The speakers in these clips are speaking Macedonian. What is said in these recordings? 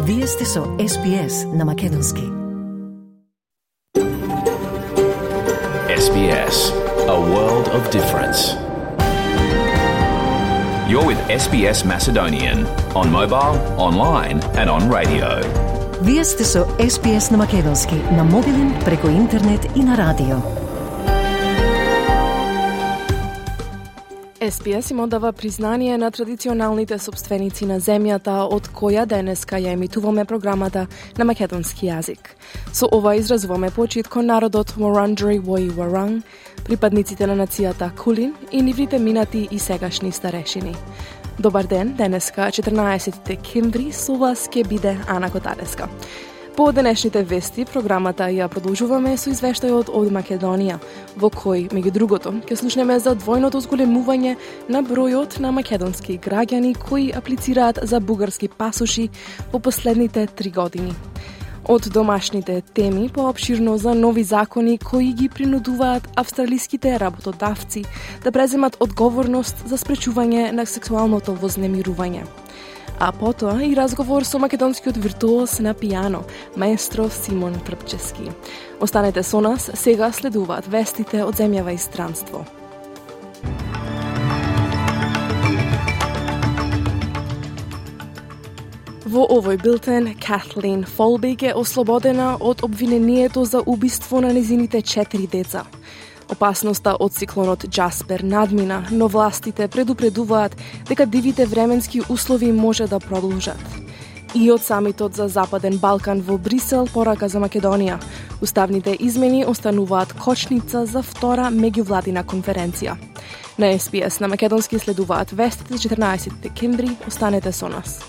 Вие сте со SBS на Македонски. SBS, a world of difference. You're with SBS Macedonian on mobile, online and on radio. Вие сте со SBS на Македонски на мобилен, преку интернет и на радио. SBS им одава признание на традиционалните собственици на земјата од која денеска ја емитуваме програмата на македонски јазик. Со ова изразуваме почит кон народот Wurundjeri Woi Wurrung, припадниците на нацијата Кулин и нивните минати и сегашни старешини. Добар ден, денеска 14 декември, со вас ќе биде Ана Котареска. По денешните вести, програмата ја продолжуваме со извештајот од Македонија, во кој, меѓу другото, ќе слушнеме за двојното зголемување на бројот на македонски граѓани кои аплицираат за бугарски пасоши во последните 3 години. Од домашните теми, поопширно за нови закони кои ги принудуваат австралиските работодавци да преземат одговорност за спречување на сексуалното вознемирување. А потоа и разговор со македонскиот виртуоз на пијано, маестро Симон Трпчевски. Останете со нас, сега следуваат вестите од земјава и странство. Во овој билтен, Kathleen Folbig е ослободена од обвинението за убиство на незините 4 деца. Опасноста од циклонот Джаспер надмина, но властите предупредуваат дека дивите временски услови може да продолжат. И од самитот за Западен Балкан во Брисел порака за Македонија. Уставните измени остануваат кочница за втора меѓувладина конференција. На SBS на македонски следуваат вестите 14 декември. Останете со нас.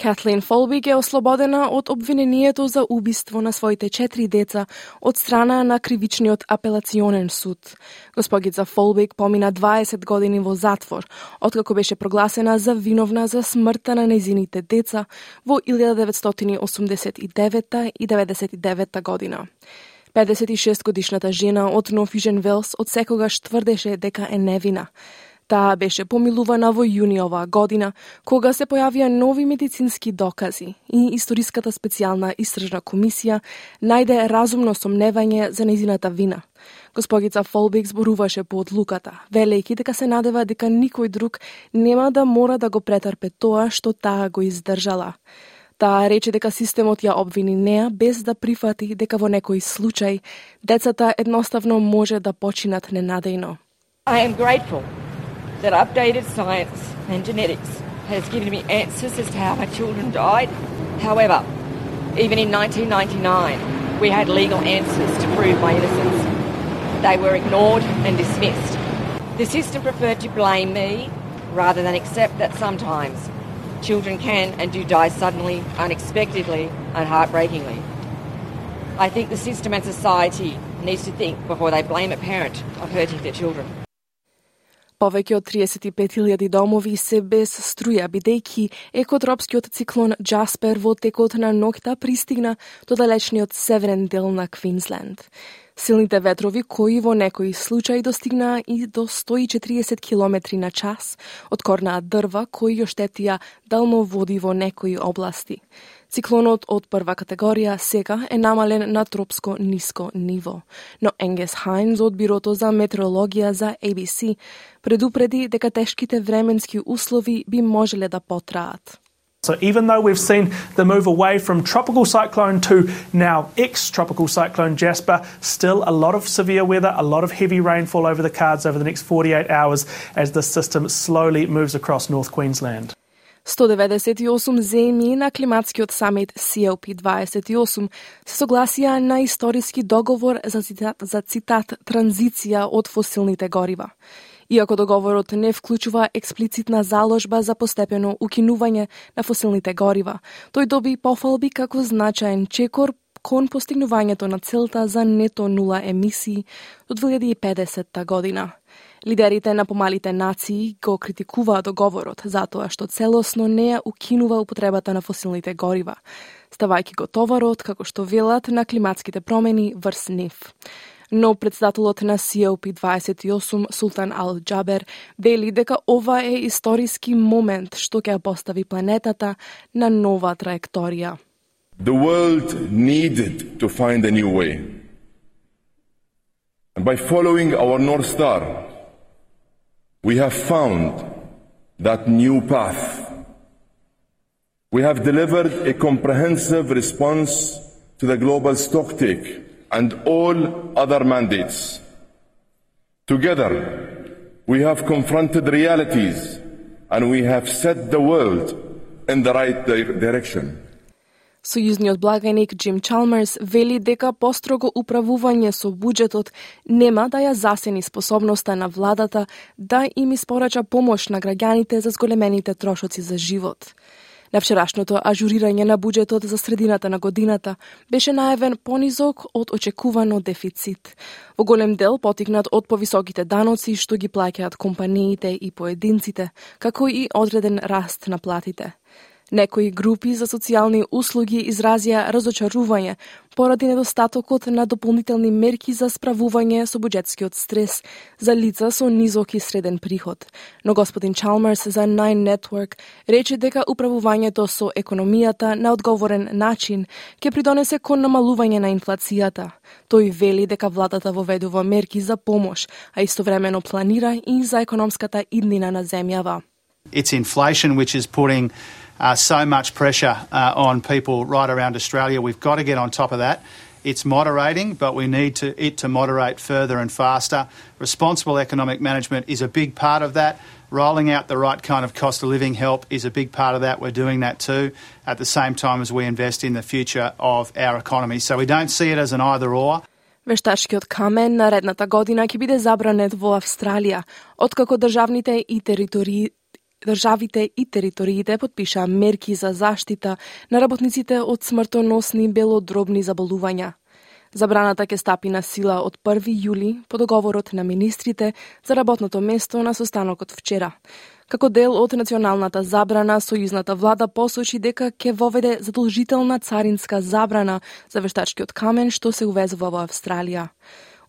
Kathleen Folbig е ослободена од обвинението за убиство на своите 4 деца од страна на Кривичниот апелационен суд. Госпогица Folbig помина 20 години во затвор, откако беше прогласена за виновна за смртта на незините деца во 1989 и 99 година. 56 годишната жена од Нофижен Велс од секогаш тврдеше дека е невина. Таа беше помилувана во јуни оваа година, кога се појавија нови медицински докази и Историската специјална истражна комисија најде разумно сомневање за нејзината вина. Госпогица Folbig зборуваше по одлуката, велејќи дека се надева дека никој друг нема да мора да го претрпе тоа што таа го издржала. Таа рече дека системот ја обвини неа без да прифати дека во некој случај децата едноставно може да починат ненадејно. I am grateful that updated science and genetics has given me answers as to how my children died. However, even in 1999, we had legal answers to prove my innocence. They were ignored and dismissed. The system preferred to blame me rather than accept that sometimes children can and do die suddenly, unexpectedly, and heartbreakingly. I think the system and society needs to think before they blame a parent of hurting their children. Повеќе од 35.000 домови се без струја, бидејќи екотропскиот циклон Джаспер во текот на ноќта пристигна до далечниот северен дел на Квинсленд. Силните ветрови, кои во некои случаи достигнаа и до 140 км на час, откорнаа дрва кои ја штетија далноводи во некои области. Циклонот од прва категорија сега е намален на тропско ниско ниво, но Енгес Хайнс од Бирото за метеорологија за ABC предупреди дека тешките временски услови би можеле да потраат. So even though we've seen the move away from tropical cyclone to now ex-tropical cyclone Jasper, still a lot of severe weather, a lot of heavy rainfall over the cards over the next 48 hours as the system slowly moves across North Queensland. 198 земји на климатскиот самит COP28 се согласија на историски договор за цитат транзиција од фосилните горива. Иако договорот не вклучува експлицитна заложба за постепено укинување на фосилните горива, тој доби пофалби како значаен чекор кон постигнувањето на целта за нето нула емисии до 2050 година. Лидерите на помалите нации го критикуваат договорот затоа што целосно не ја укинува употребата на фосилните горива, ставајќи го товарот, како што велат, на климатските промени врз нив. но председателот на COP28 Султан Ал Джабер вели дека ова е историски момент што ќе постави планетата на нова траекторија. The world needed to find a new way. And by following our North Star, we have found that new path. We have delivered a comprehensive response to the global stocktake and all other mandates. Together, we have confronted realities and we have set the world in the right direction. Сојузниот благаник Джим Чалмерс вели дека построго управување со буџетот нема да ја засени способноста на владата да им испорача помош на граѓаните за зголемените трошоци за живот. На вчерашното ажурирање на буџетот за средината на годината беше најавен понизок од очекувано дефицит. Во голем дел потикнат од повисоките даноци што ги плаќаат компаниите и поединците, како и одреден раст на платите. Некои групи за социјални услуги изразија разочарување поради недостатокот на дополнителни мерки за справување со буџетскиот стрес за лица со низок и среден приход. Но господин Чалмерс за Nine Network рече дека управувањето со економијата на одговорен начин ќе придонесе кон намалување на инфлацијата. Тој вели дека владата воведува мерки за помош, а истовремено планира и за економската иднина на земјава. It's inflation which is putting so much pressure on people right around Australia. We've got to get on top of that. It's moderating, but we need it to moderate further and faster. Responsible economic management is a big part of that. Rolling out the right kind of cost of living help is a big part of that. We're doing that too, at the same time as we invest in the future of our economy. So we don't see it as an either-or. Вештачкиот камен наредната година ќе биде забранет во Австралија, откако државите и териториите подпишаа мерки за заштита на работниците од смртоносни белодробни заболувања. Забраната ќе стапи на сила од 1 јули по договорот на министрите за работното место на состанокот вчера. Како дел од националната забрана, сојузната влада посочи дека ќе воведе задолжителна царинска забрана за вештачкиот камен што се увезува во Австралија.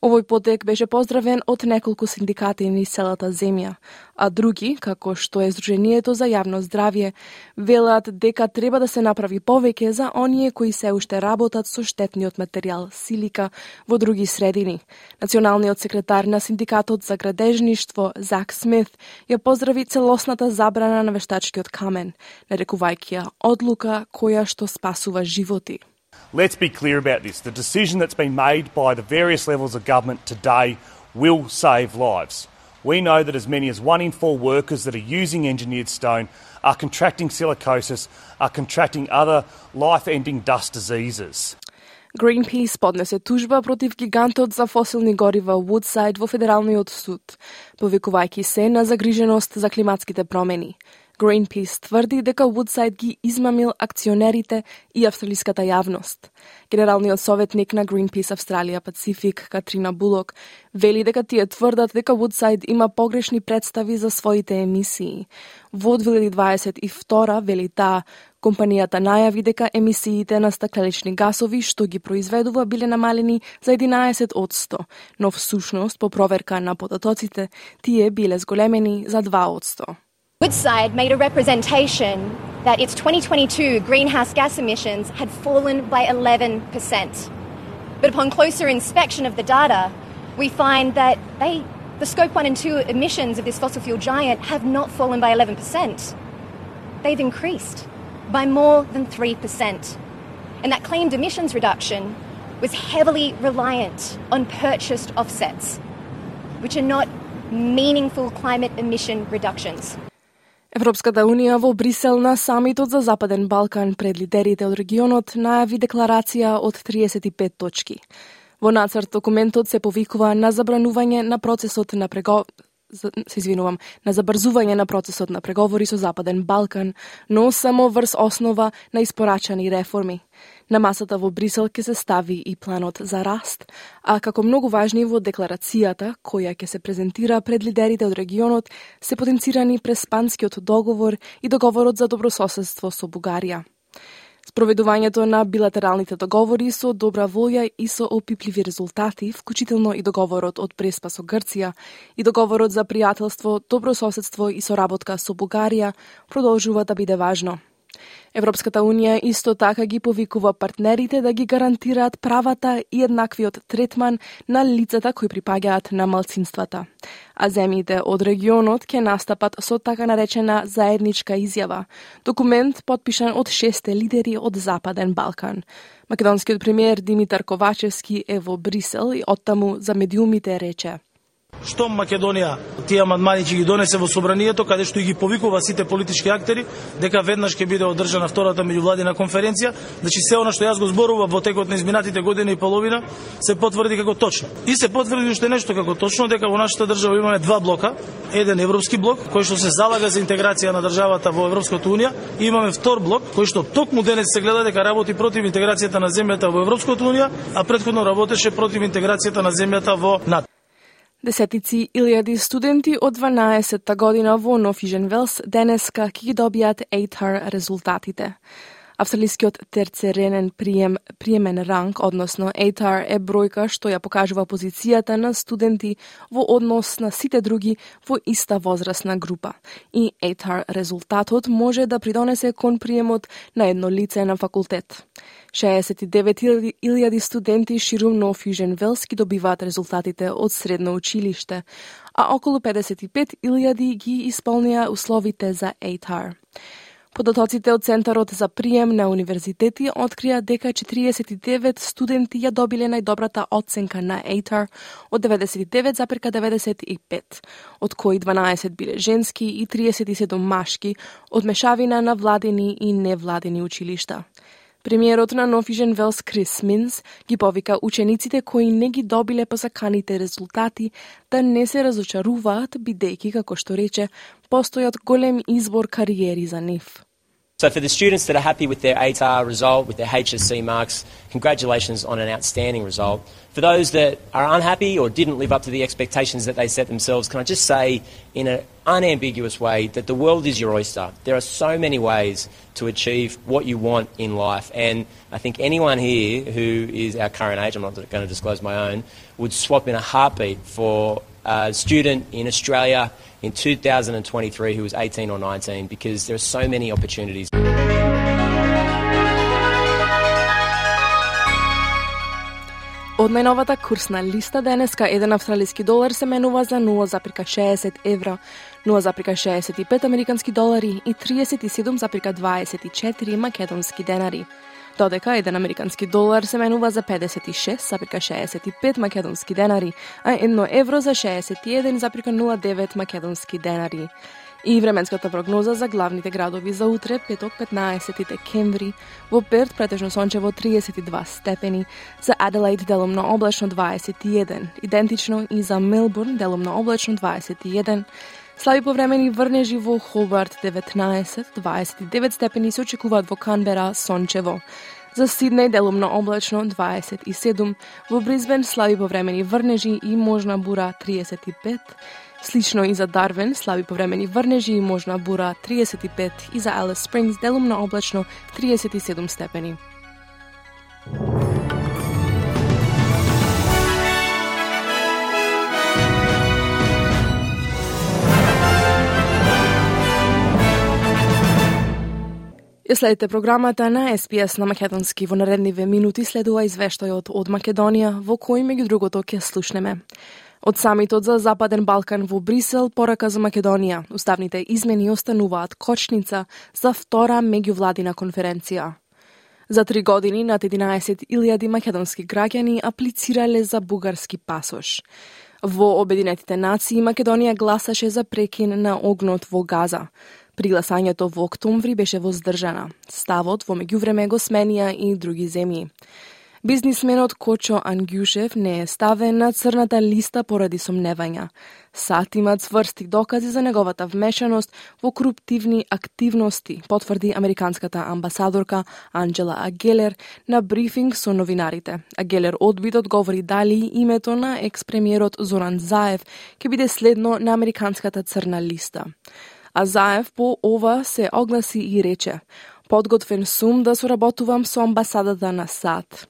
Овој потек беше поздравен од неколку синдикати низ целата земја, а други, како што е Сдруженијето за јавно здравје, велат дека треба да се направи повеќе за оние кои се уште работат со штетниот материјал силика во други средини. Националниот секретар на синдикатот за градежништво Зак Смит ја поздрави целосната забрана на вештачкиот камен, нарекувајќи ја одлука која што спасува животи. Let's be clear about this. The decision that's been made by the various levels of government today will save lives. We know that as many as 1 in 4 workers that are using engineered stone are contracting silicosis, are contracting other life-ending dust diseases. Greenpeace поднесе тужба против гигантот за фосилни горива Woodside во Федералниот суд, повикувајќи се на загриженост за климатските промени. Greenpeace тврди дека Woodside ги измамил акционерите и австралиската јавност. Генералниот советник на Greenpeace Австралија Пацифик, Катрина Булок, вели дека тие тврдат дека Woodside има погрешни представи за своите емисии. Во 2022, вели таа, компанијата најави дека емисиите на стакленични гасови што ги произведува биле намалени за 11%, но всушност по проверка на податоците тие биле зголемени за 2%. Woodside made a representation that its 2022 greenhouse gas emissions had fallen by 11%. But upon closer inspection of the data, we find that the Scope 1 and 2 emissions of this fossil fuel giant have not fallen by 11%. They've increased by more than 3%. And that claimed emissions reduction was heavily reliant on purchased offsets, which are not meaningful climate emission reductions. Европската Унија во Брисел на самитот за Западен Балкан пред лидерите од регионот најави декларација од 35 точки. Во нацрт документот се повикува на забранување на процесот на на забрзување на процесот на преговори со Западен Балкан, но само врз основа на испорачани реформи. На масата во Брисел ќе се стави и планот за раст, а како многу важни во декларацијата, која ќе се презентира пред лидерите од регионот, се потенцирани през Панскиот договор и договорот за добрососедство со Бугарија. Спроведувањето на билатералните договори со добра волја и со опипливи резултати, вклучително и договорот од Преспа со Грција и договорот за пријателство, добрососедство и соработка со Бугарија, продолжува да биде важно. Европската Унија исто така ги повикува партнерите да ги гарантираат правата и еднаквиот третман на лицата кои припаѓаат на малцинствата. А земјите од регионот ќе настапат со така наречена заедничка изјава, документ потпишан од 6 лидери од Западен Балкан. Македонскиот премиер Димитар Ковачевски е во Брисел и оттаму за медиумите рече: Штом Македонија тие амандмани ќе ги донесе во собранието, каде што ги повикува сите политички актери, дека веднаш ќе биде одржана втората меѓувладина конференција, значи се она што јас го зборував во текот на изминатите година и половина се потврди како точно. И се потврди уште нешто како точно, дека во нашата држава имаме два блока, еден европски блок кој што се залага за интеграција на државата во Европската унија, и имаме втор блок кој што токму денес се гледа дека работи против интеграцијата на земјата во Европската унија, а претходно работеше против интеграцијата на земјата во НАТО. Десетици илјади студенти од 12-та година во Нофижен Велс денеска ќе ги добијат ATAR резултатите. Австралискиот терцеренен приемен ранг, односно ATAR, е бројка што ја покажува позицијата на студенти во однос на сите други во иста возрастна група. И ATAR резултатот може да придонесе кон приемот на едно лице на факултет. 69.000 студенти ширум Нофижен Велс ги добиваат резултатите од средно училиште, а околу 55.000 ги исполнија условите за ATAR. Податоците од Центарот за прием на универзитети открија дека 49 студенти ја добиле најдобрата оценка на ATAR од 99,95, од кои 12 биле женски и 37 машки, од мешавина на владени и невладени училишта. Премиерот на Нофижен Велс Крис Минс ги повика учениците кои не ги добиле посаканите резултати да не се разочаруваат, бидејќи, како што рече, постојат голем избор кариери за нив. So for the students that are happy with their ATAR result, with their HSC marks, congratulations on an outstanding result. For those that are unhappy or didn't live up to the expectations that they set themselves, can I just say in an unambiguous way that the world is your oyster. There are so many ways to achieve what you want in life, and I think anyone here who is our current age, I'm not going to disclose my own, would swap in a heartbeat for a student in Australia in 2023 who was 18 or 19, because there are so many opportunities. Од најновата курсна листа денеска еден австралиски долар се менува за 0,60 евра, 0,65 американски долари и 37,24 македонски денари. Додека еден американски долар се менува за 56,65 македонски денари, а 1 евро за 61,09 македонски денари. И временската прогноза за главните градови за утре, петок 15 декември, во Перт претежно сончево 32 степени, за Аделаид делумно облачно 21, идентично и за Мелбурн делумно облачно 21, слаби повремени врнежи во Хобарт 19, 29 степени се очекуваат во Канбера сончево. За Сиднеј делумно облачно 27, во Брисбен слаби повремени врнежи и можна бура 35, слично и за Дарвин слаби повремени врнежи и можна бура 35 и за Алис Спрингс делумно облачно 37 степени. Ја следите програмата на СПС на македонски. Во наредниве минути следува извештајот од Македонија, во кој меѓу другото ќе слушнеме. Од самитот за Западен Балкан во Брисел, порака за Македонија. Уставните измени остануваат кочница за втора меѓувладина конференција. За 3 години над 11.000 македонски граѓани аплицирале за бугарски пасош. Во Обединетите нации Македонија гласаше за прекин на огнот во Газа. Пригласањето во октомври беше воздржана. Ставот во меѓувреме го сменија и други земји. Бизнисменот Кочо Ангјушев не е ставен на црната листа поради сомневања. САД има цврсти докази за неговата вмешаност во коруптивни активности, потврди американската амбасадорка Анджела Агелер на брифинг со новинарите. Агелер одби да одговори дали името на екс-премиерот Зоран Заев ќе биде следно на американската црна листа. А Заев по ова се огласи и рече: подготвен сум да соработувам со амбасадата на САД.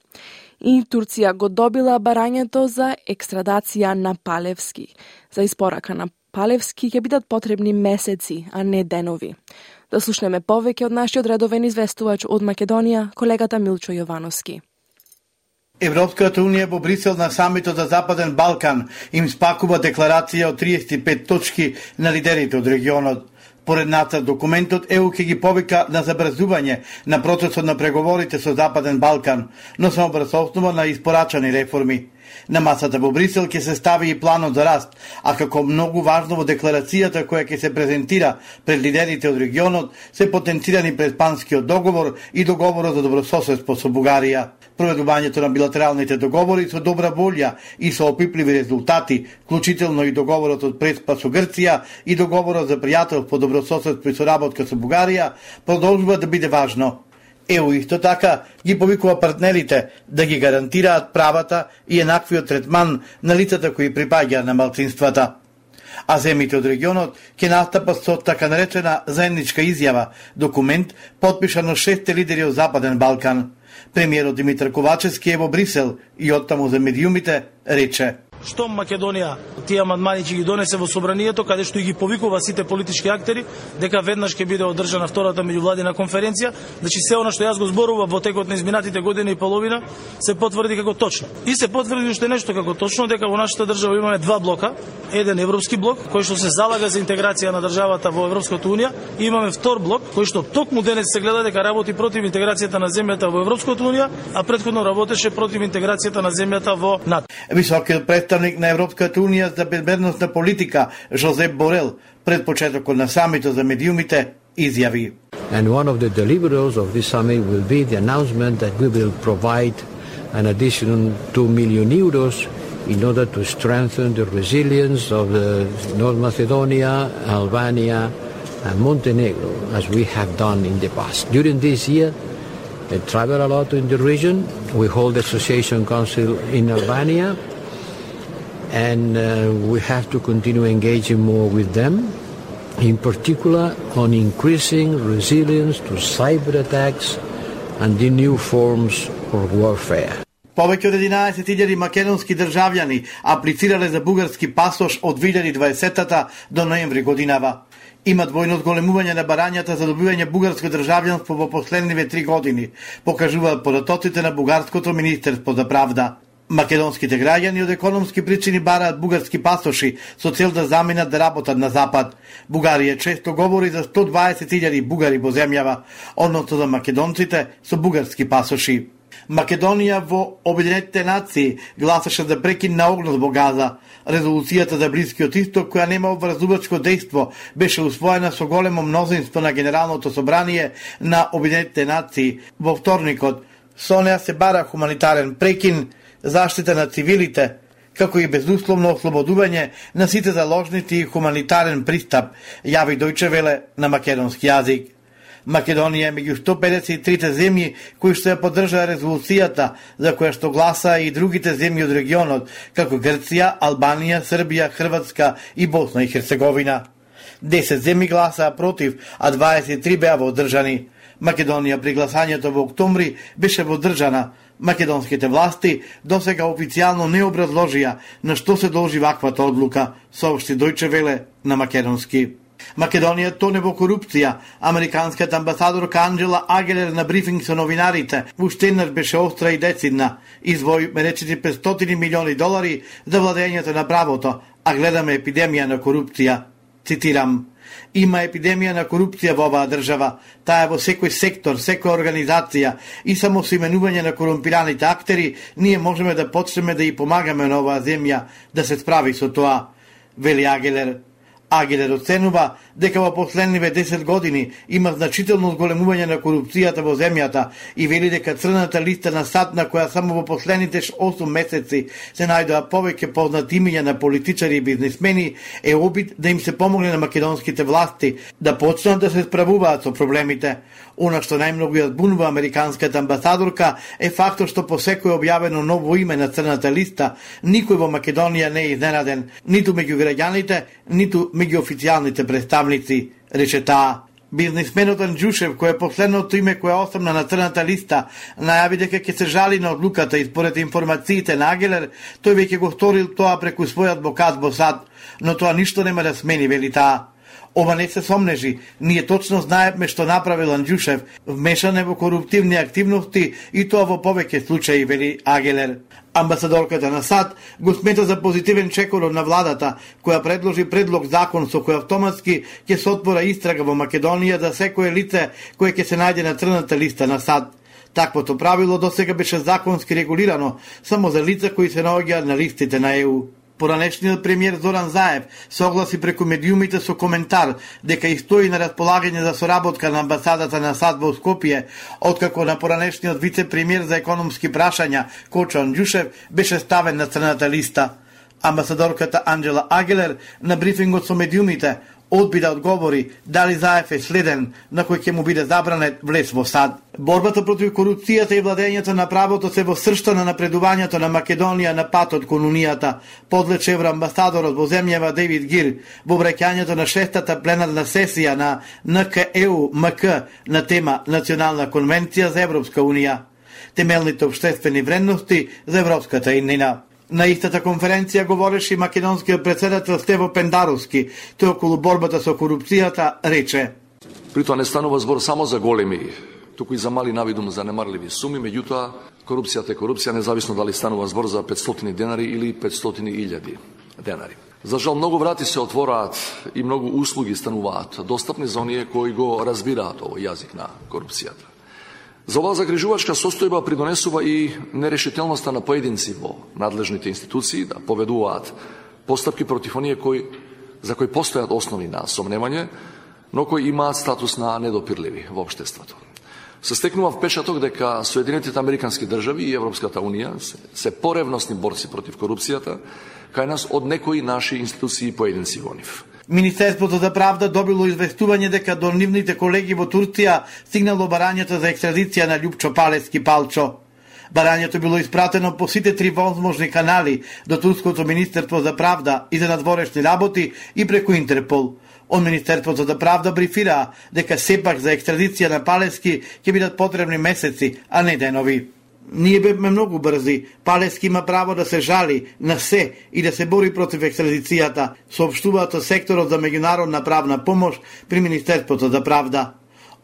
И Турција го добила барањето за екстрадација на Палевски. За испорака на Палевски ќе бидат потребни месеци, а не денови. Да слушнеме повеќе од нашиот редовен известувач од Македонија, колегата Милчо Јовановски. Европската унија во Брисел на самитот за Западен Балкан им спакува декларација од 35 точки на лидерите од регионот. Поред нацрт документот, ЕУ ќе ги повика на забрзување на процесот на преговорите со Западен Балкан, но само врз основа на испорачани реформи. На масата во Брисел ќе се стави и планот за раст, а како многу важно во декларацијата која ќе се презентира пред лидерите од регионот се потенцирани Преспанскиот договор и договорот за добрососедство со Бугарија. Проведувањето на билатералните договори со добра волја и со опипливи резултати, вклучително и договорот од Преспа со Грција и договорот за пријателство, добрососедство и соработка со Бугарија, продолжува да биде важно. ЕУ исто така ги повикува партнерите да ги гарантираат правата и еднаквиот третман на лицата кои припаѓа на малцинствата. А земите од регионот ќе настапат со така наречена заедничка изјава, документ подпишан од 6 лидери од Западен Балкан. Премиерот Димитар Ковачевски е во Брисел и оттаму за медиумите рече: Што Македонија тие амандмани ќе ги донесе во собранието, каде што ги повикува сите политички актери, дека веднаш ќе биде одржана втората меѓувладина конференција, значи се она што јас го зборував во текот на изминатите година и половина се потврди како точно. И се потврди уште нешто како точно, дека во нашата држава имаме два блока, еден европски блок кој што се залага за интеграција на државата во Европската унија, и имаме втор блок кој што токму денес се гледа дека работи против интеграцијата на земјата во Европската унија, а претходно работеше против интеграцијата на земјата во НАТО. Високиот представник на Европската унија за безбедносна политика Жозеп Борел пред почетокот на самитот за медиумите изјави: And one of the deliverables of this summit will be the announcement that we will provide an additional 2 million euros in order to strengthen the resilience of North Macedonia, Albania and Montenegro, as we have done in the past. During this year, I travel a lot in the region. We hold the Association Council in Albania, and we have to continue engaging more with them, in particular on increasing resilience to cyber attacks and the new forms of warfare. Повеќе од 11.000 македонски државјани аплицирале за бугарски пасош од 2020 до ноември годинава. Има двојно зголемување на барањата за добивање бугарско државјанство во последниве 3 години, покажуваат податоците на бугарското министерство за правда. Македонските граѓани од економски причини бараат бугарски пасоши со цел да заминат да работат на запад. Бугарија често говори за 120.000 бугари во земјава, односно за македонците со бугарски пасоши. Македонија во Обединетите нации гласаше за прекин на огнот во Газа. Резолуцијата за Блискиот исток, која нема обврзувачко дејство, беше усвоена со големо мнозинство на Генералното собрание на Обединетите нации во вторникот. Со неа се бара хуманитарен прекин, заштита на цивилите, како и безусловно ослободување на сите заложници и хуманитарен пристап, јави Дојче Веле на македонски јазик. Македонија е меѓу 153 земји кои што ја поддржаа резолуцијата, за која што гласа и другите земји од регионот, како Грција, Албанија, Србија, Хрватска и Босна и Херцеговина. 10 земји гласаа против, а 23 беа водржани. Македонија при гласањето во октомври беше водржана. Македонските власти досега официјално не образложија на што се должи ваквата одлука, соопшти Дојче Веле на македонски. Македонија тоне во корупција. Американската амбасадорка Анджела Агелер на брифинг со новинарите уште еднаш беше остра и децидна. Извои речити $500 милиони за владењето на правото, а гледаме епидемија на корупција. Цитирам: Има епидемија на корупција во оваа држава. Таа е во секој сектор, секоја организација, и само со именување на корумпираните актери ние можеме да почнеме да ја помагаме на оваа земја да се справи со тоа, вели Агелер. Агелер оценува дека во последниве 10 години има значително зголемување на корупцијата во земјата и вели дека црната листа на САД, на која само во последните 8 месеци се најдоа повеќе познати имиња на политичари и бизнисмени, е обид да им се помогне на македонските власти да почнат да се справуваат со проблемите. Она што најмногу ја збунува американската амбасадорка е фактот што по секој објавено ново име на црната листа, никој во Македонија не е изненаден, ниту меѓу граѓаните, ниту меѓу официјалните представници, рече таа. Бизнисменот Анџушев, кој е последното име кој остана на црната листа, најави дека ќе се жали на одлуката и според информациите на Агелер, тој веќе го сторил тоа преку својот адвокат во САД, но тоа ништо нема да смени, вели таа. Ова не се сомнежи, ние точно знаеме што направил Анџушев, вмешан е во коруптивни активности и тоа во повеќе случаи, вели Агелер. Амбасадорката на САД го смета за позитивен чекор на владата, која предложи предлог закон со кој автоматски ќе се отвора истрага во Македонија за секое лице кое ќе се најде на црната листа на САД. Таквото правило досега беше законски регулирано само за лица кои се наоѓаат на листите на ЕУ. Поранешниот премиер Зоран Заев согласи преку медиумите со коментар дека и стои на располагање за соработка на амбасадата на САД во Скопје, откако на поранешниот вице-премиер за економски прашања Кочо Анџушев беше ставен на црната листа. Амбасадорката Анџела Агелер на брифингот со медиумите одби да одговори дали Заев е следен на кој ќе му биде забранет влез во САД. Борбата против корупцијата и владењето на правото се во сршта на напредувањето на Македонија на патот кон Унијата, подлече евроамбасадорот во земјава Дейвид Гир во враќањето на 6-та пленарна сесија на НК-ЕУ-МК на тема Национална конвенција за Европска Унија, темелните општествени вредности за европската иднина. На истата конференција говореше и македонскиот претседател Стево Пендаровски. Тој околу борбата со корупцијата рече: При тоа не станува збор само за големи, туку и за мали навидум занемарливи суми, меѓутоа корупцијата е корупција независно дали станува збор за 500 денари или 500.000 денари. За жал многу врати се отвораат и многу услуги стануваат достапни за оние кои го разбираат овој јазик на корупцијата. За оваа загрижувачка состојба придонесува и нерешителноста на поединци во надлежните институции да поведуваат постапки против оние за кои постојат основи на сомневање, но кои имаат статус на недопирливи во општеството. Се стекнува впечаток дека Соединетите Американски држави и Европската Унија се поревностни борци против корупцијата кај нас од некои наши институции и поединци во нив. Министерството за правда добило известување дека до нивните колеги во Турција стигнало барањето за екстрадиција на Љупчо Палески Палчо. Барањето било испратено по сите 3 возможни канали до Турското Министерство за правда и за надворешни работи и преку Интерпол. Од Министерството за правда брифираа дека сепак за екстрадиција на Палески ќе бидат потребни месеци, а не денови. Ние бевме многу брзи. Палески има право да се жали на се и да се бори против екстрадицијата, соопштуваат секторот за меѓународна правна помош при Министерството за правда.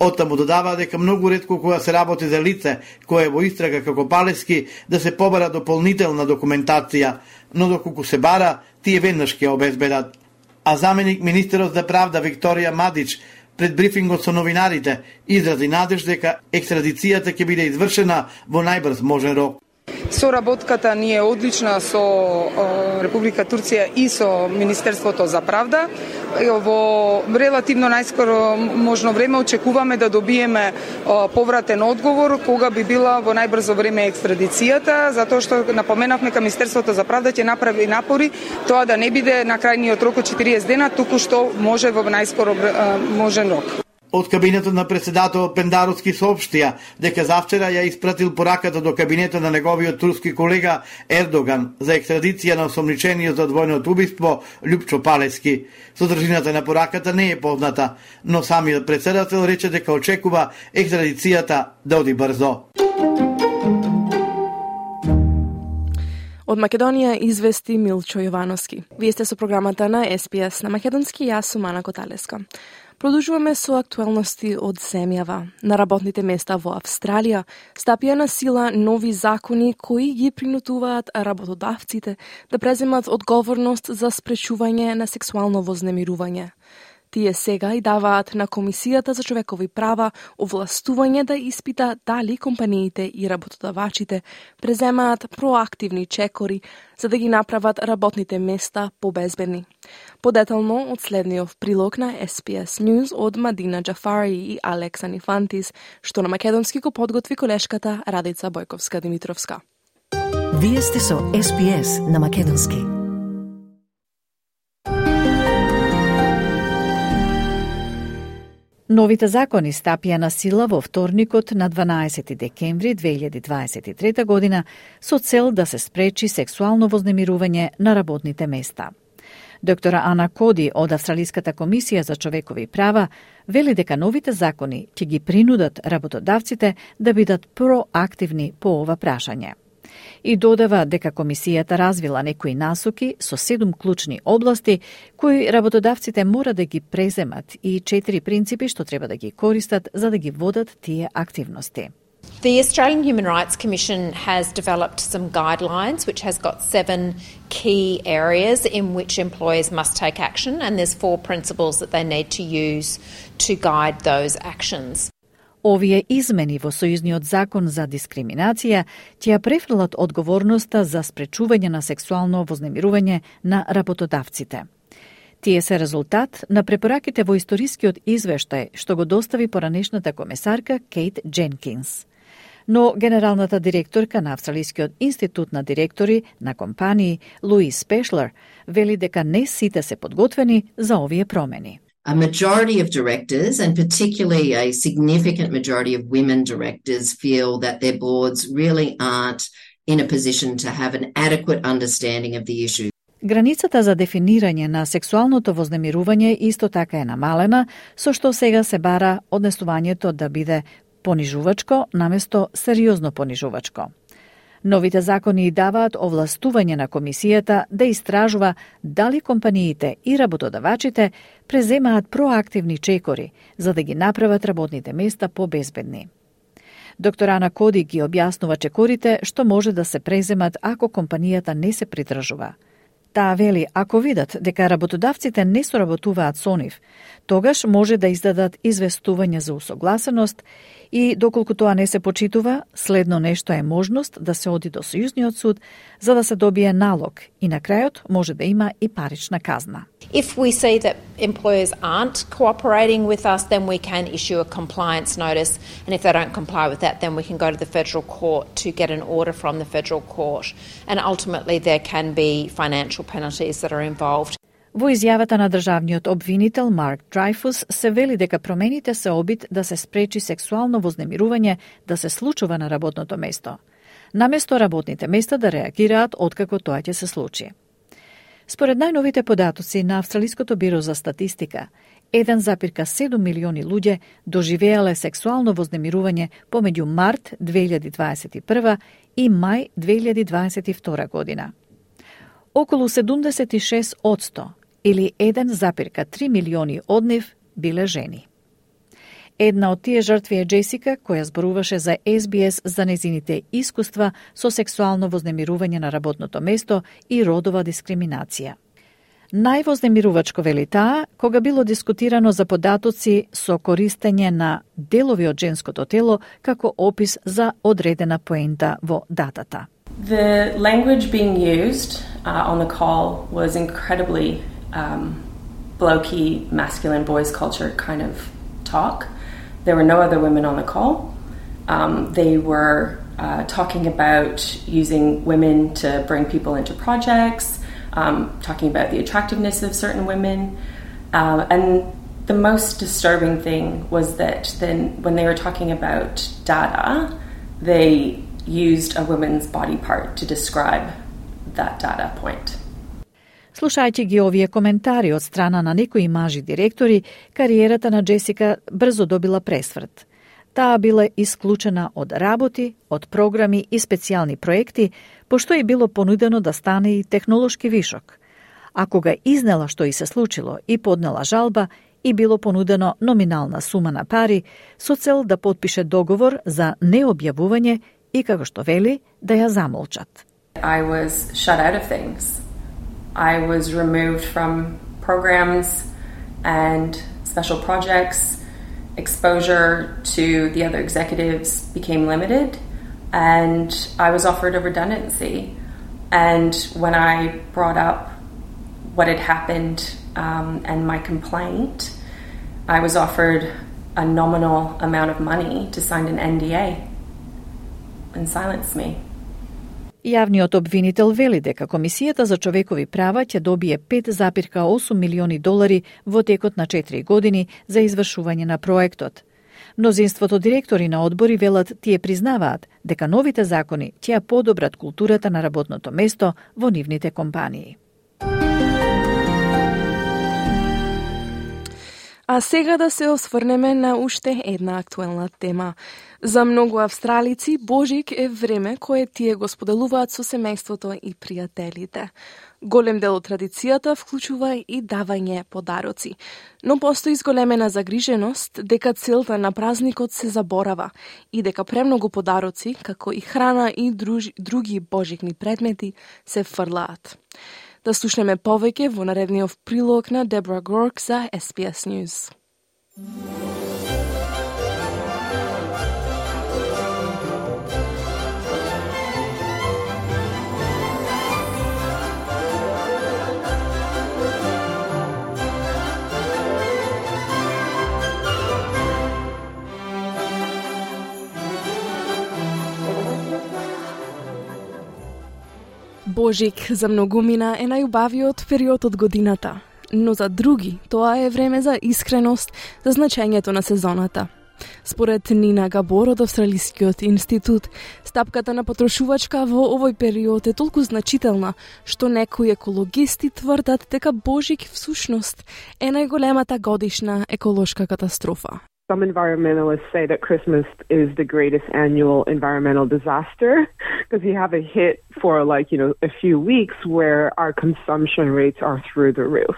Оттаму додава дека многу ретко кога се работи за лице кое е во истрага како Палески да се побара дополнителна документација, но доколку се бара, тие веднаш ќе обезбедат. А заменик министерот за правда Викторија Мадич пред брифингот со новинарите изрази надеж дека екстрадицијата ќе биде извршена во најбрз можен рок. Соработката ни е одлична со Република Турција и со Министерството за правда. Во релативно најскоро можно време очекуваме да добиеме повратен одговор кога би била во најбрзо време екстрадицијата, затоа што напоменавме дека Министерството за правда ќе направи напори тоа да не биде на крајниот рок од 40 дена, туку што може во најскоро можен рок. Од кабинетот на председател Пендаровски соопштија дека завчера ја испратил пораката до кабинетот на неговиот турски колега Ердоган за екстрадиција на осомничениот за двојното убиство Љупчо Палески. Содржината на пораката не е позната, но самиот председател рече дека очекува екстрадицијата да оди брзо. Од Македонија извести Милчо Јовановски. Вие сте со програмата на СПС на македонски, јас сум Ана Коталеска. Продолжуваме со актуелности од земјава. На работните места во Австралија стапија на сила нови закони кои ги принудуваат работодавците да преземат одговорност за спречување на сексуално вознемирување. Тие сега и даваат на Комисијата за човекови права овластување да испита дали компаниите и работодавачите преземаат проактивни чекори за да ги направат работните места побезбедни. Подетално од следниот прилог на SPS News од Мадина Џафари и Алекса Нифантис, што на македонски го подготви колешката Радица Бојковска-Димитровска. Вие сте со SPS на македонски. Новите закони стапија на сила во вторникот на 12 декември 2023 година со цел да се спречи сексуално вознемирување на работните места. Доктора Ана Коди од Австралиската комисија за човекови права вели дека новите закони ќе ги принудат работодавците да бидат проактивни по ова прашање. И додава дека комисијата развила некои насоки со 7 клучни области кои работодавците мора да ги преземат и 4 принципи што треба да ги користат за да ги водат тие активности. The Australian Human Rights Commission has developed some guidelines which has got 7 key areas in which employers must take action, and there's 4 principles that they need to use to guide those actions. Овие измени во Сојузниот закон за дискриминација ќе ја префрлат одговорноста за спречување на сексуално вознемирување на работодавците. Тие се резултат на препораките во историскиот извештај што го достави поранешната комесарка Кейт Дженкинс. Но генералната директорка на Австралискиот институт на директори на компании Луис Пешлер вели дека не сите се подготвени за овие промени. A majority of directors, and particularly a significant majority of women directors, feel that their boards really aren't in a position to have an adequate understanding of the issue. Границата за дефинирање на сексуалното вознемирување исто така е намалена, со што сега се бара однесувањето да биде понижувачко наместо сериозно понижувачко. Новите закони даваат овластување на комисијата да истражува дали компаниите и работодавачите преземаат проактивни чекори за да ги направат работните места побезбедни. Доктор Ана Коди ги објаснува чекорите што може да се преземат ако компанијата не се придржува. Таа вели, ако видат дека работодавците не соработуваат со нив, тогаш може да издадат известување за усогласеност и доколку тоа не се почитува, следно нешто е можност да се оди до Сојузниот суд за да се добие налог и на крајот може да има и парична казна. If we see that employers aren't cooperating with us, then we can issue a compliance notice, and if they don't comply with that, then we can go to the federal court to get an order from the federal court, and ultimately there can be financial penalties that are involved. Во изјавата на државниот обвинител Марк Драйфус се вели дека промените се обид да се спречи сексуално вознемирување да се случува на работното место, наместо работните места да реагираат откако тоа ќе се случи. Според најновите податоци на Австралиското биро за статистика, 1,7 милиони луѓе доживеале сексуално вознемирување помеѓу март 2021 и мај 2022 година. Околу 76% или 1,3 милиони од нив биле жени. Една од тие жртви е Джесика, која зборуваше за SBS за незините искуства со сексуално вознемирување на работното место и родова дискриминација. Највознемирувачко вели таа, кога било дискутирано за податоци со користење на делови од женското тело како опис за одредена поента во датата. The language being used on the call was incredibly blokey, masculine, boys culture kind of talk. There were no other women on the call. They were talking about using women to bring people into projects, talking about the attractiveness of certain women. And the most disturbing thing was that then when they were talking about data, they used a woman's body part to describe that data point. Слушајќи ги овие коментари од страна на некои мажи директори, кариерата на Джесика брзо добила пресврт. Таа била исклучена од работи, од програми и специјални проекти, пошто и било понудено да стане и технолошки вишок. А кога изнела што и се случило и поднела жалба, и било понудено номинална сума на пари со цел да потпише договор за необјавување и како што вели да ја замолчат. I was shut out of things. I was removed from programs and special projects. Exposure to the other executives became limited, and I was offered a redundancy. And when I brought up what had happened and my complaint, I was offered a nominal amount of money to sign an NDA and silence me. Јавниот обвинител вели дека Комисијата за човекови права ќе добие $5,8 милиони во текот на 4 години за извршување на проектот. Мнозинството директори на одбори велат тие признаваат дека новите закони ќе ја подобрат културата на работното место во нивните компании. А сега да се осврнеме на уште една актуелна тема. За многу австралици, Божик е време кое тие го споделуваат со семејството и пријателите. Голем дел од традицијата вклучува и давање подароци. Но постои зголемена загриженост дека целта на празникот се заборава и дека премногу подароци, како и храна и други божикни предмети, се фрлаат. Да слушнеме повеќе во наредниот прилог на Дебора Горк за SBS News. Божик за многумина е најубавиот период од годината, но за други тоа е време за искреност, за значењето на сезоната. Според Нина Габор од Австралискиот институт, стапката на потрошувачка во овој период е толку значителна, што некои екологисти тврдат дека Божик всушност е најголемата годишна еколошка катастрофа. Some environmentalists say that Christmas is the greatest annual environmental disaster because you have a hit for a few weeks where our consumption rates are through the roof.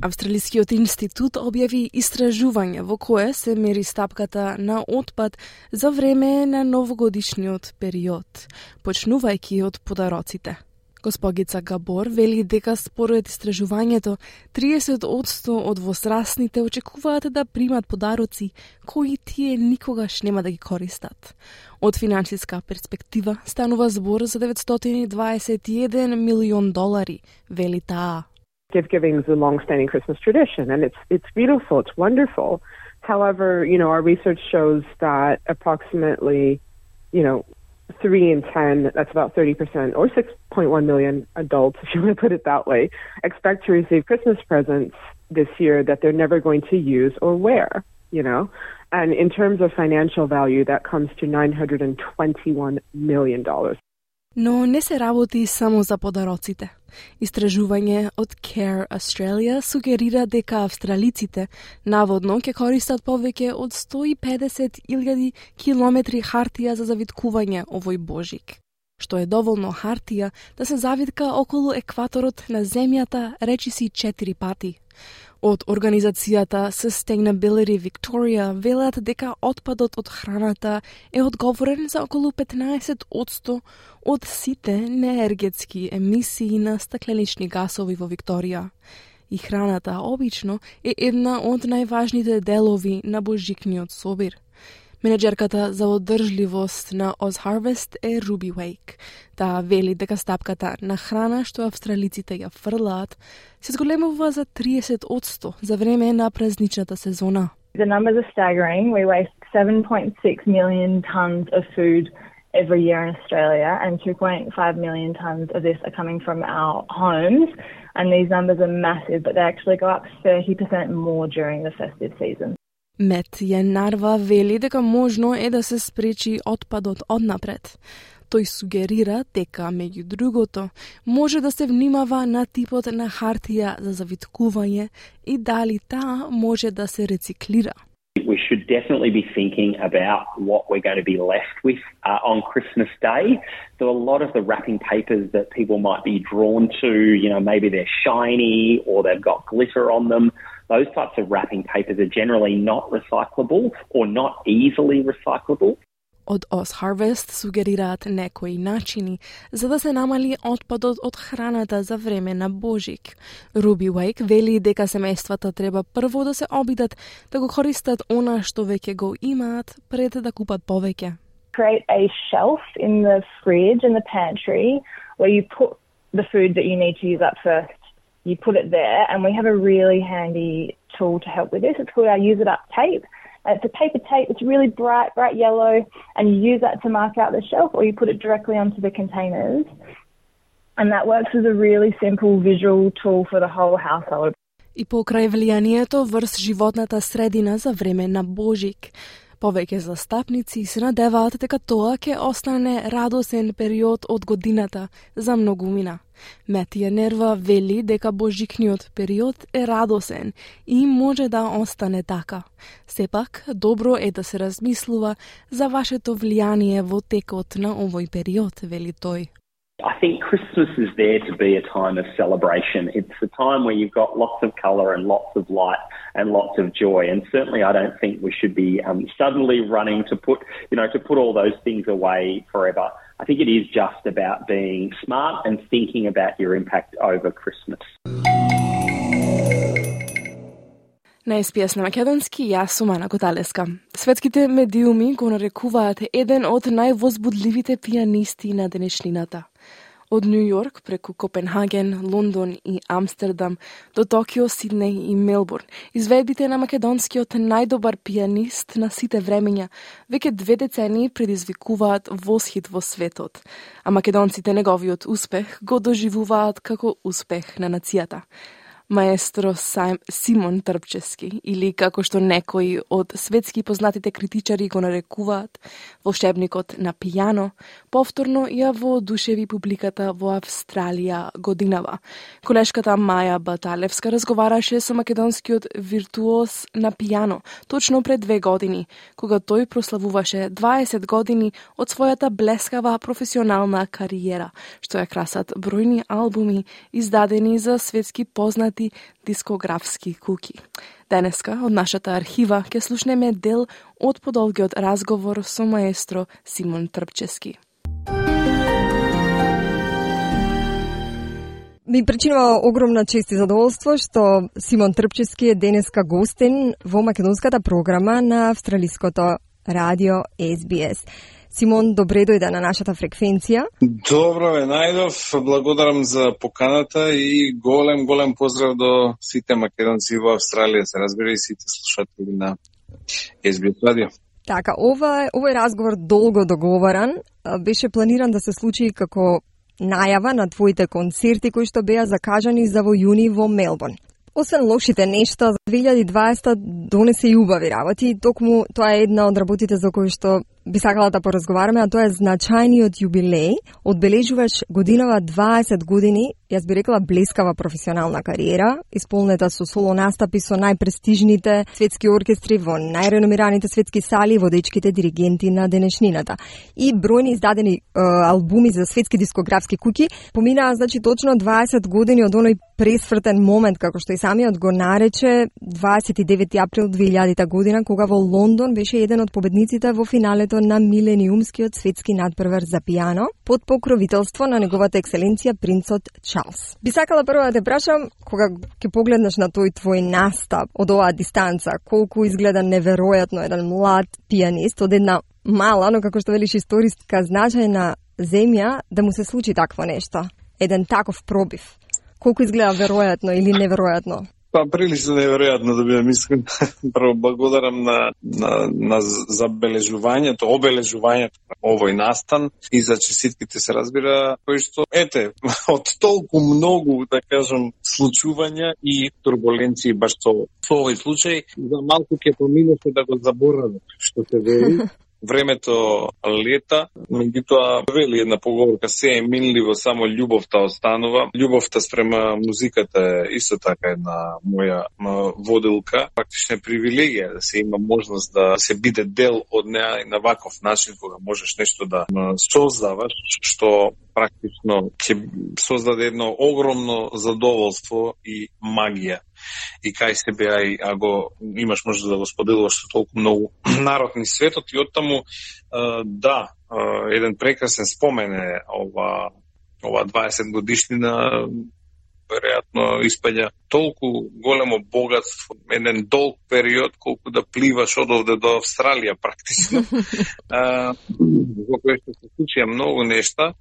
Австралискиот институт објави истражување во кое се мери стапката на отпад за време на новогодишниот период, почнувајќи од подароците. Госпогица Габор вели дека според истражувањето 30% од возрастните очекуваат да примат подароци кои тие никогаш нема да ги користат. Од финансиска перспектива станува збор за $921 милион, вели таа. Gift-giving is a long-standing Christmas tradition, and it's beautiful, it's wonderful. However, our research shows that approximately, 3 in 10, that's about 30%, or 6.1 million adults, if you want to put it that way, expect to receive Christmas presents this year that they're never going to use or wear, And in terms of financial value, that comes to $921 million. Но не се работи само за подароците. Истражување од Care Australia сугерира дека австралиците наводно ќе користат повеќе од 150,000 километри хартија за завиткување овој Божик, што е доволно хартија да се завитка околу екваторот на земјата речиси 4 пати. Од организацијата Sustainability Victoria велат дека отпадот од храната е одговорен за околу 15% од сите неергетски емисии на стакленични гасови во Викторија. И храната обично е една од најважните делови на божикниот собир. Менеджерката за одржливост на OzHarvest е Ruby Wake. Таа вели дека стапката на храна што австралиците ја фрлаат се зголемува за 30% за време на празничната сезона. The numbers are staggering. We waste 7.6 million tons of food every year in Australia, and 2.5 million tons of this are coming from our homes. And these numbers are massive, but they actually go up 30% more during the festive season. Мет Јенарва вели дека можно е да се спречи отпадот однапред. Тој сугерира дека, меѓу другото, може да се внимава на типот на хартија за завиткување и дали таа може да се рециклира. We should definitely be thinking about what we're going to be left with on Christmas Day. So a lot of the wrapping papers that people might be drawn to, maybe they're shiny or they've got glitter on them. Those types of wrapping papers are generally not recyclable or not easily recyclable. Од OzHarvest сугерираат некои начини за да се намали отпадот од храната за време на Божик. Ruby Wake вели дека семејствата треба прво да се обидат да го користат она што веќе го имаат пред да купат повеќе. Create a shelf in the fridge and the pantry where you put the food that you need to use up first. You put it there, and we have a really handy tool to help with this. It's called our Use It Up tape. It's a paper tape. It's really bright yellow, and you use that to mark out the shelf, or you put it directly onto the containers. And that works as a really simple visual tool for the whole household. И покрај влијанието врз животната средина за време на Божик, Повеќе застапници се надеваат дека тоа ќе остане радосен период од годината за многумина. Метија Нерва вели дека божикниот период е радосен и може да остане така. Сепак, добро е да се размислува за вашето влијание во текот на овој период, вели тој. I think Christmas is there to be a time of celebration. It's a time where you've got lots of colour and lots of light and lots of joy. And certainly I don't think we should be suddenly running to put all those things away forever. I think it is just about being smart and thinking about your impact over Christmas. На СПС на македонски, јас сум Ана Коталеска. Светските медиуми го нарекуваат еден од највозбудливите пијанисти на денешнината. Од Нью Йорк преку Копенхаген, Лондон и Амстердам до Токио, Сиднеј и Мелбурн, изведбите на македонскиот најдобар пијанист на сите времења веќе 2 децении предизвикуваат восхит во светот, а македонците неговиот успех го доживуваат како успех на нацијата. Маестро Симон Трпчевски, или како што некои од светски познатите критичари го нарекуваат, волшебникот на пијано, повторно ја воодушеви публиката во Австралија годинава. Колешката Маја Баталевска разговараше со македонскиот виртуоз на пијано точно пред 2 години, кога тој прославуваше 20 години од својата блескава професионална кариера, што ја красат бројни албуми издадени за светски познати дискографски куки. Денеска од нашата архива ќе слушнеме дел од подолгиот разговор со маестро Симон Трпчевски. Ми причинува огромна чест и задоволство што Симон Трпчевски е денеска гостин во македонската програма на австралиското радио SBS. Симон, добре дојде на нашата фреквенција. Добро ве најдов, благодарам за поканата и голем поздрав до сите македонци во Австралија, се разбира и сите слушатели на SBS радио. Така, овој разговор долго договоран, беше планиран да се случи како најава на твоите концерти кои што беа закажани за во јуни во Мелбурн. Освен лошите нешта, 2020 донесе и убави работи, токму тоа е една од работите за кои што би сакала да поразговараме, а тоа е значајниот јубилеј. Одбележуваш годинава 20 години, јас би рекла блескава професионална кариера, исполнета со соло настапи со најпрестижните светски оркестри во најреномираните светски сали, водечките диригенти на денешнината. И бројни издадени албуми за светски дискографски куки. Поминаа, значи, точно 20 години од оној пресвртен момент, како што и самиот го нарече, 29 април 2000 година, кога во Лондон беше еден од победниците во финалето на милениумскиот светски надпревар за пијано под покровителство на неговата екселенција принцот Чарлс. Би сакала прво да те прашам, кога ќе погледнеш на тој твој настап од оваа дистанца, колку изгледа неверојатно еден млад пијанист од една мала, но како што велиш историска значајна земја, да му се случи такво нешто, еден таков пробив. Колку изгледа веројатно или неверојатно? Па прилично неверојатно да бидам искрен. Прво благодарам на забележувањето, обележувањето на овој настан и за честитките, се разбира, кои што од толку многу, да кажам, случувања и турбуленции баш со овој случај, за малку ќе поминеше да го заборавам, што се вели. Времето лета, меѓутоа вели една поговорка, се е минливо, само љубовта останува. Љубовта спрема музиката е исто така една моја водилка. Практично е привилегија да се има можност да се биде дел од неа и на ваков начин, кога можеш нешто да создаваш, што практично ќе создаде едно огромно задоволство и магија. И кај себе, ако имаш можност да го споделуваш со толку многу народ ни светот, и оттаму, еден прекрасен спомен е ова 20 годишнина, веројатно испаѓа толку големо богатство, еден долг период, колку да пливаш од овде до Австралија практично. Во кој што се случија многу нешта,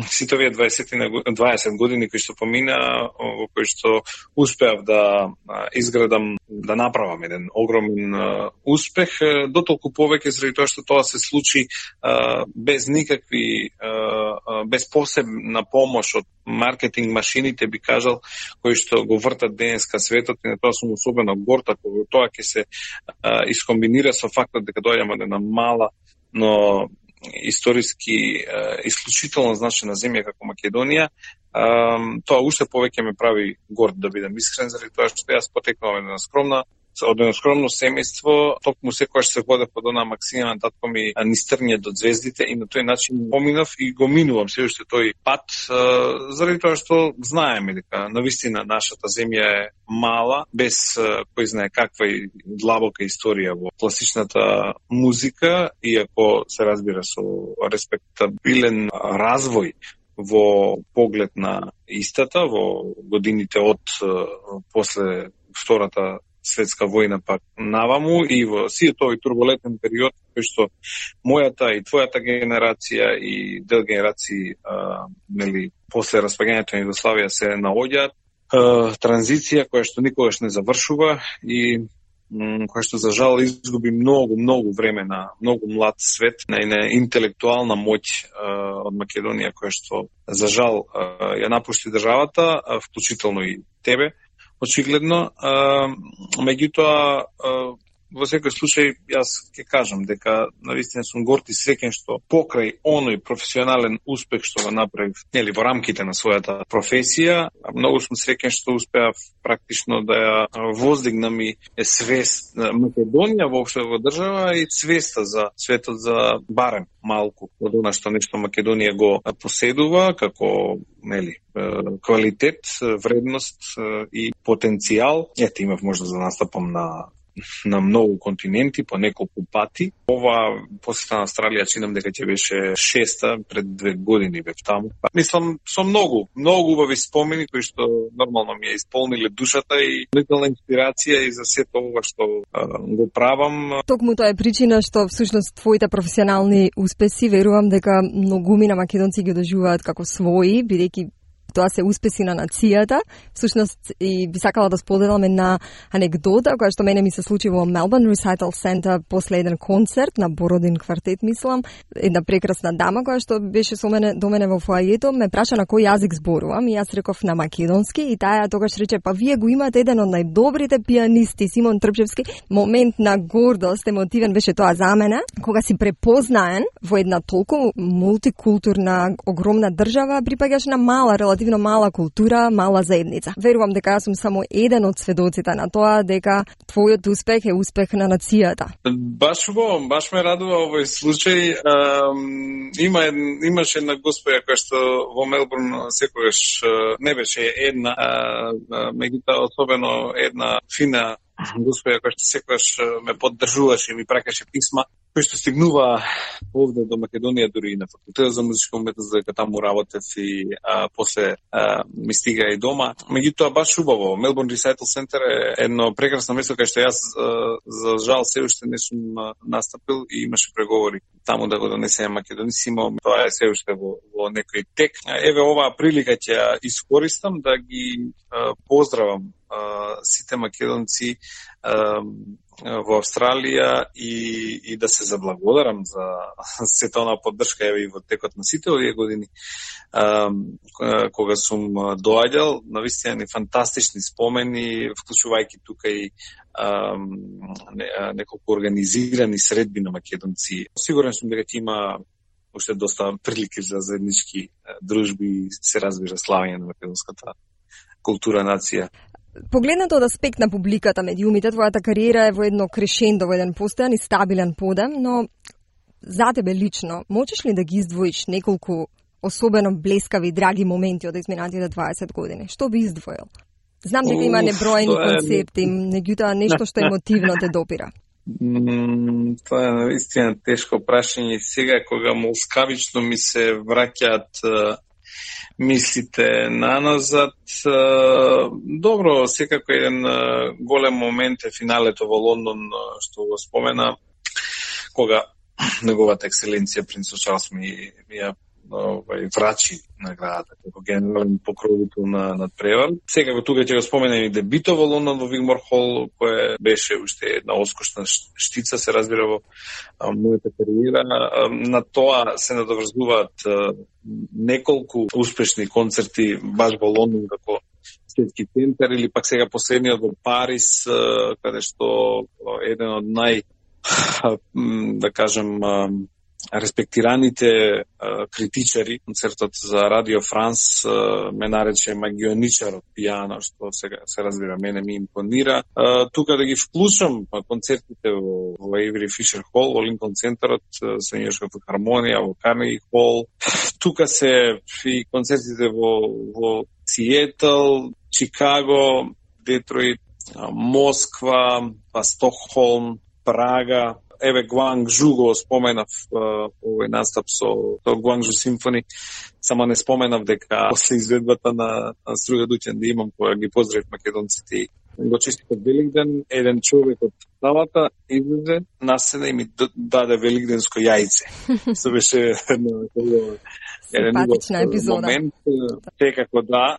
сите овие 20 години кои што помина, во кои што успеав да изградам, да направам еден огромен успех, дотолку повеќе заради тоа што тоа се случи без никакви, без посебна помош од маркетинг машините, би кажал, кои што го вртат денеска светот, и на тоа сум особено горд, ако тоа ќе се искомбинира со фактот дека доаѓаме од една мала, но историски исклучително значена земја како Македонија, тоа уште повеќе ме прави горд, да бидам искрен, заради тоа што јас потекнувам од едно скромно семејство, токму секогаш се водев под онаа максима на татко ми низ трње до звездите, и на тој начин поминав и го минувам се уште тој пат, заради тоа што знаеме дека навистина нашата земја е мала, без кој знае каква и длабока историја во класичната музика, иако се разбира со респектабилен развој во поглед на истата во годините од после Втората светска војна пак наваму, и во сиот овој турбулентен период кој што мојата и твојата генерација и дел генерации после распаѓањето на Југославија се наоѓаат, транзиција која што никогаш не завршува и која што за жал изгуби многу време на многу млад свет, на интелектуална моќ од Македонија, која што за жал ја напушти државата, вклучително и тебе, очигледно. Меѓутоа, во секој случај, јас ќе кажам дека навистина сум горд и среќен што покрај оној професионален успех што го направив во рамките на својата професија, многу сум среќен што успеав практично да ја воздигнам и свест на Македонија воопшто во држава и свеста за светот за барем малку од она што нешто Македонија го поседува како квалитет, вредност и потенцијал. Ете, имав можност да настапам на многу континенти по неколку пати. Ова посета на Австралија чинам дека ќе беше 6-та, пред 2 години бев таму. Мислам, со многу убави спомени кои што нормално ми ја исполниле душата и лителна инспирација и за сето ова што го правам. Токму тоа е причина што всушност твоите професионални успеси верувам дека многумина македонци ги доживуваат како своји, бидејќи тоа се успеси на нацијата. Всушност, и би сакала да споделам една анегдота која што мене ми се случи во Melbourne Recital Center после еден концерт на Бородин квартет, мислам. Една прекрасна дама која што беше со мене до мене во фоајето, ме праша на кој јазик зборувам и јас реков на македонски, и таа тогаш рече: па вие го имате еден од најдобрите пианисти, Симон Трпчевски. Момент на гордост, емотивен беше тоа за мене, кога си препознаен во една толку мултикултурна, огромна држава, припаѓаш на мала, релативно мала култура, мала заедница. Верувам дека јас сум само еден од сведоците на тоа дека твојот успех е успех на нацијата. Баш ме радува овој случај. Имаше една госпоја која што во Мелбурн секогаш не беше една, меѓутоа особено една фина госпоја која што секогаш ме поддржуваше и ми пракаше писма, кои што стигнува овде до Македонија, дури и на факултетот за музичка уметност, дека таму работев и после ми стига и дома. Меѓутоа баш убаво, Melbourne Recital Center е едно прекрасно место кај што јас за жал се уште не сум настапил и имаше преговори таму да го донесеме Македонисимо. Тоа е се уште во некој тек. Еве оваа прилика ќе ја искористам да ги поздравам сите македонци во Австралија и да се заблагодарам за сета онаа поддршка и во текот на сите овие години кога сум доаѓал. Навистина ни фантастични спомени, вклучувајќи тука и неколку организирани средби на македонци. Сигурен сум дека ќе има уште доста прилики за заеднички дружби и се разбира славење на македонската култура, нација. Погледнато од аспект на публиката, медиумите, твојата кариера е во едно крешендо, во еден постојан и стабилен подем, но за тебе лично, можеш ли да ги издвоиш неколку особено блескави и драги моменти од изминатите 20 години? Што би издвоил? Знам дека има неброени концерти, меѓутоа нешто што емотивно те допира. Тоа е наистина тешко прашање. Сега кога молскавично ми се враќаат мислите наназад, добро, секако еден голем момент е финалето во Лондон, што го спомена, кога неговата екселенција принц Чарлс ми ја врачи наградата како генерален покровител на надпревар. Секако тука ќе го споменам и дебито во Лондон во Вигмор Хол, која беше уште една оскошна штица, се разбира во мојата кариера. На тоа се надоврзуваат неколку успешни концерти баш во Лондон како светски центар, или пак сега последниот во Париз, каде што еден од да кажем, респектираните критичари, концертот за Радио Франс ме нарече магионичарот пијано, што сега се разбира, мене ми импонира. Тука да ги вклучам концертите во Avery Fisher Hall, во Линколн центарот, со Нью-Йоркска филхармонија, во Карнеги Хол. Тука се и концертите во Сиетл, Чикаго, Детройт, Москва, Стокхолм, Прага. Еве Гуанджу го споменав овој настап со Гуанджу Симфони, само не споменав дека после изведбата на Струга Дуќан да имам, која ги поздравив македонците, го честитав Великден, еден човек од залата излезе на сцена и ми даде великденско јајце. Се беше еден момент, секако да.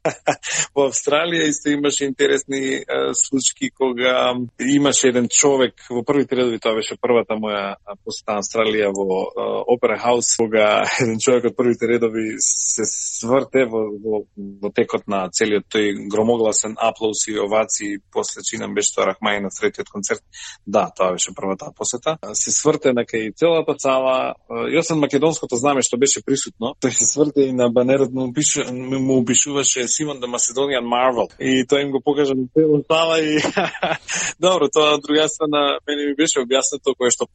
Во Австралија исто имаше интересни случаи кога имаше еден човек во првите редови, тоа беше првата моја посета на Австралија во Опера Хаус, кога еден човек од првите редови се сврте во текот на целиот тој громогласен аплауз и овации, после чинам беше тоа Рахмаи на третиот концерт. Да, тоа беше првата посета. Се сврте на кај целата цала, јосен македонското знаме што беше присутно, тој се сврте и на банерот му опишуваше Симон the Macedonian Marvel. И тоа им го покажа на целата цала и добро, тоа од друга страна мене ми беше објаснето, кое што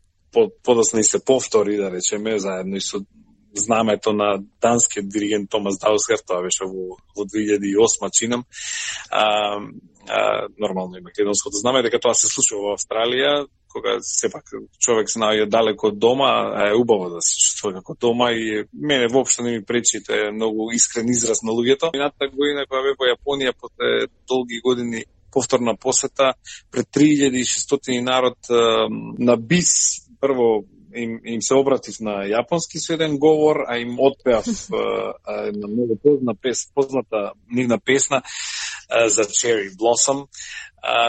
подоцна и се повтори, да речеме, заедно и со знамето на данскиот диригент Томас Даусгар, тоа беше во 2008 чинам. Нормално и македонското знаме, дека тоа се случува во Австралија, кога сепак човек се наоѓа далеко од дома, е убаво да се чувствува како дома и мене воопшто не ми пречи, тоа е многу искрен израз на луѓето. Минатата година кога бев во Јапонија после долги години повторна посета пред 3600 народ на бис, прво им се обратив на јапонски со еден говор, а им отпеав на многу позната нивна песна за Cherry Blossom.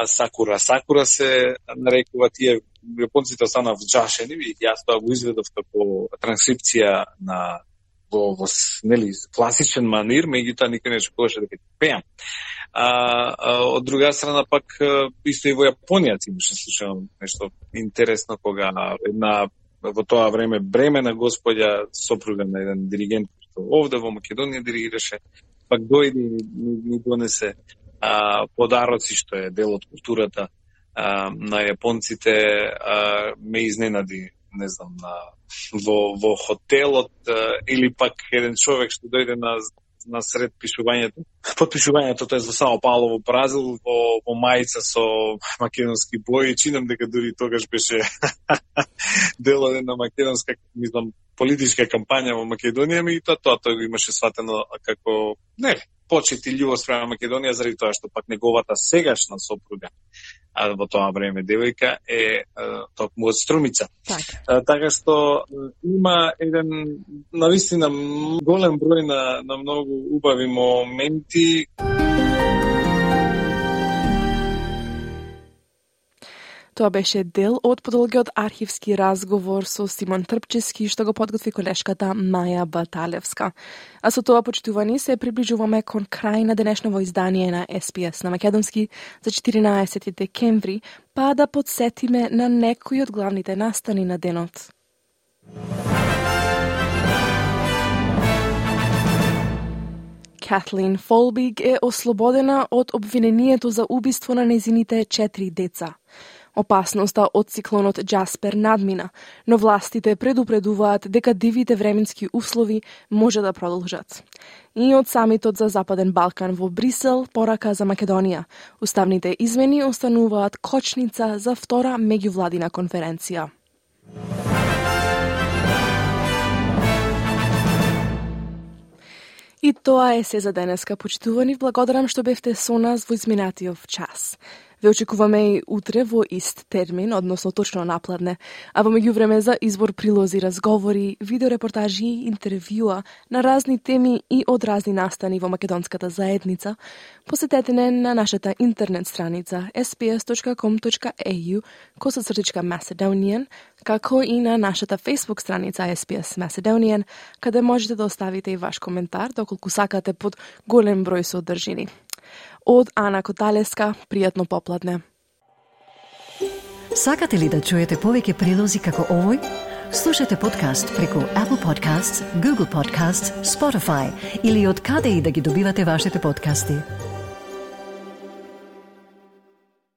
Сакура се нарекува, тие јапонците останаа вџашени и јас тоа го изведов како транскрипција на во нели класичен манир, меѓутоа никој не очекуваше дека ќе пеам. Од друга страна пак исто и во Јапонија имаше слушано нешто интересно, кога една во тоа време бремена господја, сопруга на еден диригент што овде во Македонија диригираше, пак дојде и ми донесе подароци, што е дел од културата на јапонците. Ме изненади, не знам, во хотелот, или пак еден човек што дојде на сред пишувањето. Подпишувањето тоа е во Сао Пауло во Бразил, во мајца со македонски бои. Чинам дека дури тогаш беше дел од една македонска, мислам, политичка кампања во Македонија, и тоа го имаше сватено како почит и љубов спрема Македонија, заради тоа што пак неговата сегашна сопруга, во тоа време девојка, е токму од Струмица. Така што има еден навистина голем број на многу убави моменти. Тоа беше дел од подолгиот архивски разговор со Симон Трпчевски, што го подготви колешката Маја Баталевска. А со тоа, почитувани, се приближуваме кон крај на денешново издание на SPS на македонски за 14 декември, па да подсетиме на некои од главните настани на денот. Kathleen Folbig е ослободена од обвинението за убиство на нејзините 4 деца. Опасноста од циклонот Джаспер надмина, но властите предупредуваат дека дивите временски услови може да продолжат. И од самитот за Западен Балкан во Брисел порака за Македонија. Уставните измени остануваат кочница за втора меѓувладина конференција. И тоа е се за денеска, почитувани. Благодарам што бевте со нас во изминатиот час. Ве очекуваме и утре во ист термин, односно точно напладне, а во меѓувреме за избор прилози, разговори, видеорепортажи и интервјуа на разни теми и од разни настани во македонската заедница, посетете не на нашата интернет страница sbs.com.au/Macedonian, како и на нашата Facebook страница SBS Macedonian, каде можете да оставите и ваш коментар, доколку сакате под голем број содржини. Од Ана Коталеска, пријатно попладне. Сакате ли да чуете повеќе прилози како овој? Слушате подкаст преку Apple Podcasts, Google Podcasts, Spotify или од каде и да ги добивате вашите подкасти.